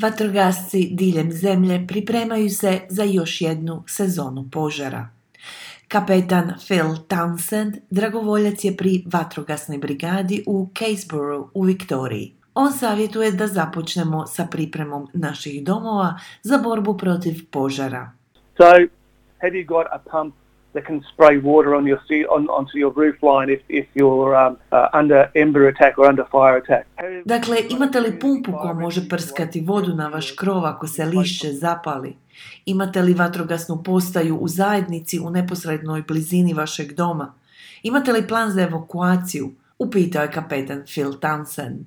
Vatrogasci diljem zemlje pripremaju se za još jednu sezonu požara. Kapetan Phil Townsend dragovoljac je pri vatrogasnoj brigadi u Caseborough u Viktoriji. On savjetuje da započnemo sa pripremom naših domova za borbu protiv požara. So, have you got a pump that can spray water onto your roof line if you're under ember attack or under fire attack? Dakle, imate li pumpu koja može prskati vodu na vaš krov ako se lišće zapali? Imate li vatrogasnu postaju u zajednici u neposrednoj blizini vašeg doma? Imate li plan za evakuaciju? Upitao je kapetan Phil Townsend.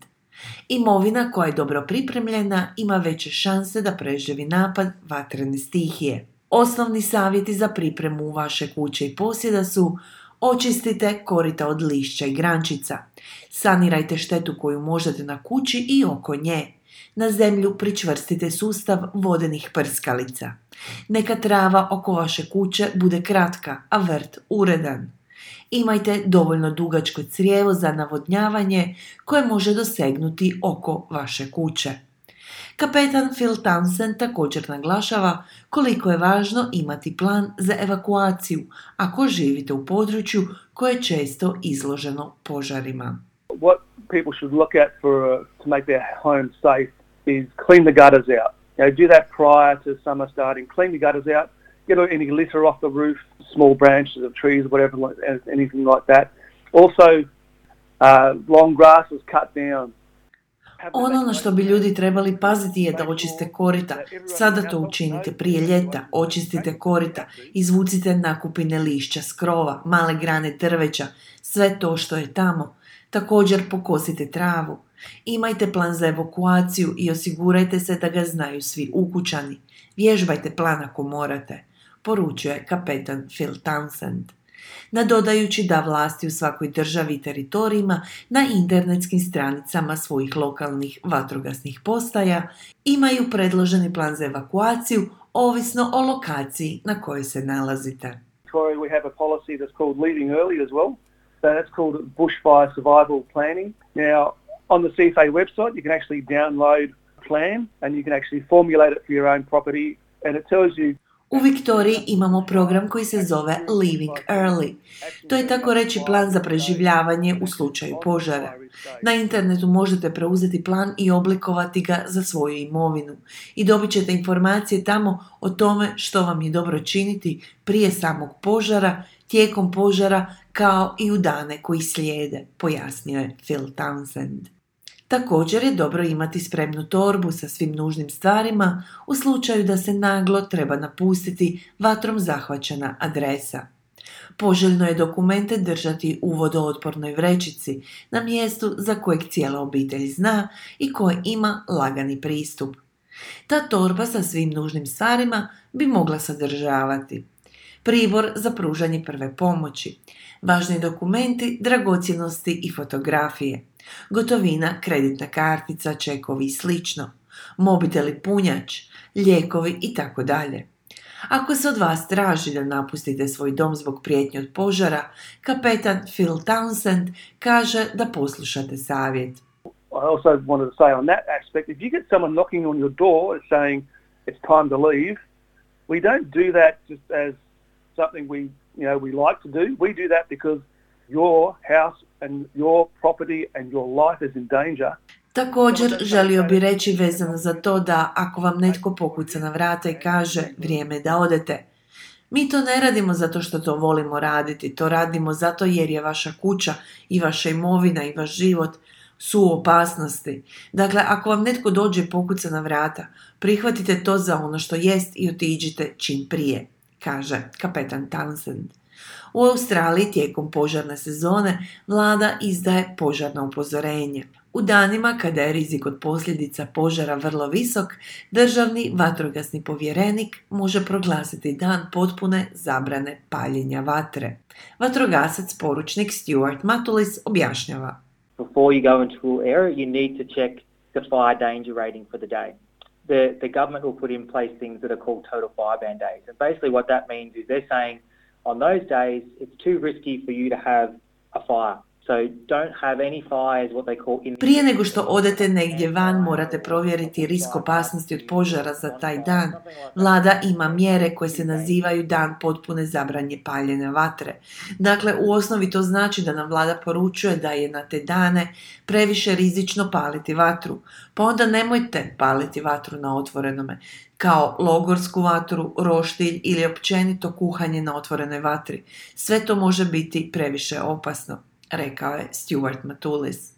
Imovina koja je dobro pripremljena ima veće šanse da preživi napad vatrene stihije. Osnovni savjeti za pripremu vaše kuće i posjeda su: očistite korita od lišća i grančica, sanirajte štetu koju možete na kući i oko nje, na zemlju pričvrstite sustav vodenih prskalica. Neka trava oko vaše kuće bude kratka, a vrt uredan. Imajte dovoljno dugačko crijevo za navodnjavanje koje može dosegnuti oko vaše kuće. Kapetan Phil Townsend također naglašava koliko je važno imati plan za evakuaciju ako živite u području koje je često izloženo požarima. What people should look at to make their home safe is clean the gutters out. Do that prior to summer starting. Clean the gutters out. Get any litter off the roof, small branches of trees, whatever, anything like that. Also, long grass is cut down. Ono na što bi ljudi trebali paziti je da očiste korita. Sada to učinite prije ljeta. Očistite korita, izvucite nakupine lišća s krova, male grane drveća, sve to što je tamo. Također pokosite travu. Imajte plan za evakuaciju i osigurajte se da ga znaju svi ukućani. Vježbajte plan ako morate, poručuje kapetan Phil Townsend. Nadodajući da vlasti u svakoj državi i teritorijima na internetskim stranicama svojih lokalnih vatrogasnih postaja imaju predloženi plan za evakuaciju ovisno o lokaciji na kojoj se nalazite. We have a policy that's called leaving early as well. So that's called bushfire survival planning. Now, on the CFA website, you can actually download a plan and you can actually formulate it for your own property, and it tells you. U Viktoriji imamo program koji se zove Leaving Early. To je tako reći plan za preživljavanje u slučaju požara. Na internetu možete preuzeti plan i oblikovati ga za svoju imovinu i dobit ćete informacije tamo o tome što vam je dobro činiti prije samog požara, tijekom požara kao i u dane koji slijede, pojasnio je Phil Townsend. Također je dobro imati spremnu torbu sa svim nužnim stvarima u slučaju da se naglo treba napustiti vatrom zahvaćena adresa. Poželjno je dokumente držati u vodootpornoj vrećici na mjestu za kojeg cijela obitelj zna i koje ima lagani pristup. Ta torba sa svim nužnim stvarima bi mogla sadržavati pribor za pružanje prve pomoći, važni dokumenti, dragocjenosti i fotografije, gotovina, kreditna kartica, čekovi i slično, mobitel i punjač, lijekovi itd. Ako se od vas traži da napustite svoj dom zbog prijetnje od požara, kapetan Phil Townsend kaže da poslušate savjet. I also wanted to say on that aspect, if you get someone knocking on your door saying it's time to leave, we don't do that just as something we like to do. We do that because your house and your property and your life is in danger. Također želio bi reći vezano za to da ako vam netko pokuca na vrata i kaže vrijeme da odete, mi to ne radimo zato što to volimo raditi, to radimo zato jer je vaša kuća i vaša imovina i vaš život su u opasnosti. Dakle, ako vam netko dođe i pokuca na vrata, prihvatite to za ono što jest i otiđite čim prije, kaže kapetan Townsend. U Australiji tijekom požarne sezone vlada izdaje požarno upozorenje. U danima kada je rizik od posljedica požara vrlo visok, državni vatrogasni povjerenik može proglasiti dan potpune zabrane paljenja vatre. Vatrogasac poručnik Stuart Matulis objašnjava. Before you go into an area, you need to check the fire danger rating for the day. The government will put in place things that are called total fire ban days. And basically what that means is they're saying on those days it's too risky for you to have a fire. So don't have any fires, what they call in... Prije nego što odete negdje van, morate provjeriti risk opasnosti od požara za taj dan. Vlada ima mjere koje se nazivaju dan potpune zabranje paljenja vatre. Dakle, u osnovi to znači da nam vlada poručuje da je na te dane previše rizično paliti vatru. Pa onda nemojte paliti vatru na otvorenome, kao logorsku vatru, roštilj ili općenito kuhanje na otvorenoj vatri. Sve to može biti previše opasno, rekao je Stuart Matulis.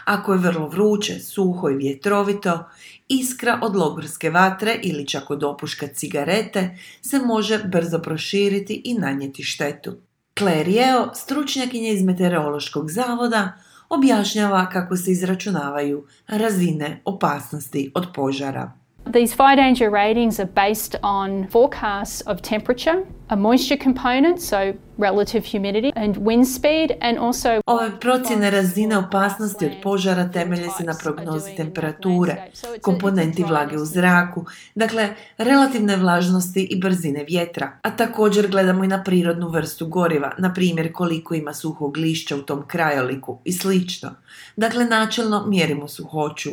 Ako je vrlo vruće, suho i vjetrovito, iskra od logorske vatre ili čak od opuška cigarete se može brzo proširiti i nanijeti štetu. Claire Yeo, stručnjakinja iz Meteorološkog zavoda, objašnjava kako se izračunavaju razine opasnosti od požara. These fire danger ratings are based on forecasts of temperature, a moisture component, so relative humidity, and wind speed, and also... Ove procjene razine opasnosti od požara temelje se na prognozi temperature, komponenti vlage u zraku, dakle relativne vlažnosti i brzine vjetra. A također gledamo i na prirodnu vrstu goriva, na primjer koliko ima suhog lišća u tom krajoliku i slično. Dakle, načelno mjerimo suhoću,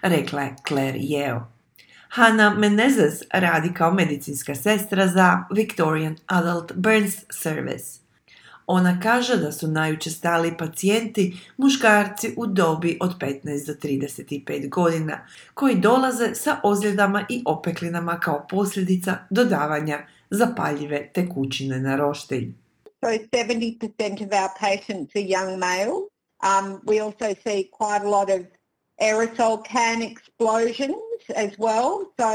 rekla je Claire Yeo. Hannah Menezes radi kao medicinska sestra za Victorian Adult Burns Service. Ona kaže da su najučestaliji pacijenti muškarci u dobi od 15 do 35 godina, koji dolaze sa ozljedama i opeklinama kao posljedica dodavanja zapaljive tekućine na roštilj. So 70% of our patients are young male. We also see quite a lot of aerosol can explosions as well, so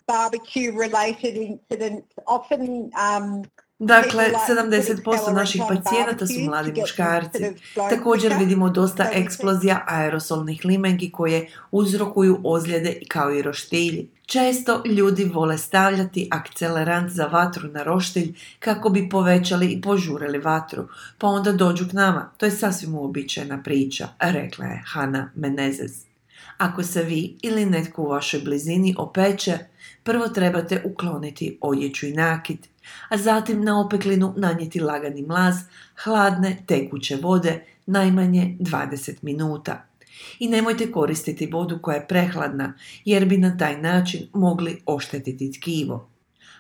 barbecue-related incidents often... Dakle, 70% naših pacijenata su mladi muškarci. Također vidimo dosta eksplozija aerosolnih limenki koje uzrokuju ozljede kao i roštilji. Često ljudi vole stavljati akcelerant za vatru na roštilj kako bi povećali i požurili vatru, pa onda dođu k nama. To je sasvim uobičajena priča, rekla je Hannah Menezes. Ako se vi ili netko u vašoj blizini opeče, prvo trebate ukloniti odjeću i nakit, a zatim na opeklinu nanijeti lagani mlaz hladne tekuće vode najmanje 20 minuta. I nemojte koristiti vodu koja je prehladna, jer bi na taj način mogli oštetiti tkivo.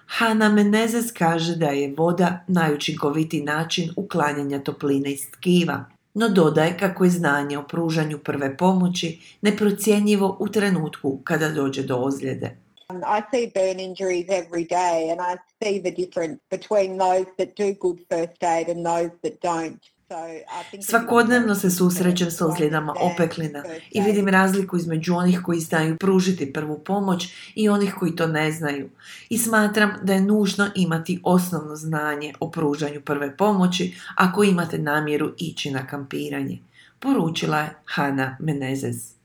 Hannah Menezes kaže da je voda najučinkovitiji način uklanjanja topline iz tkiva, no dodaje kako je znanje o pružanju prve pomoći neprocjenjivo u trenutku kada dođe do ozljede. I see burn injuries every day and I see the difference between those that do good first aid and those that don't. Svakodnevno se susrećem s ozljedama opeklina i vidim razliku između onih koji znaju pružiti prvu pomoć i onih koji to ne znaju. I smatram da je nužno imati osnovno znanje o pružanju prve pomoći ako imate namjeru ići na kampiranje, poručila je Hannah Menezes.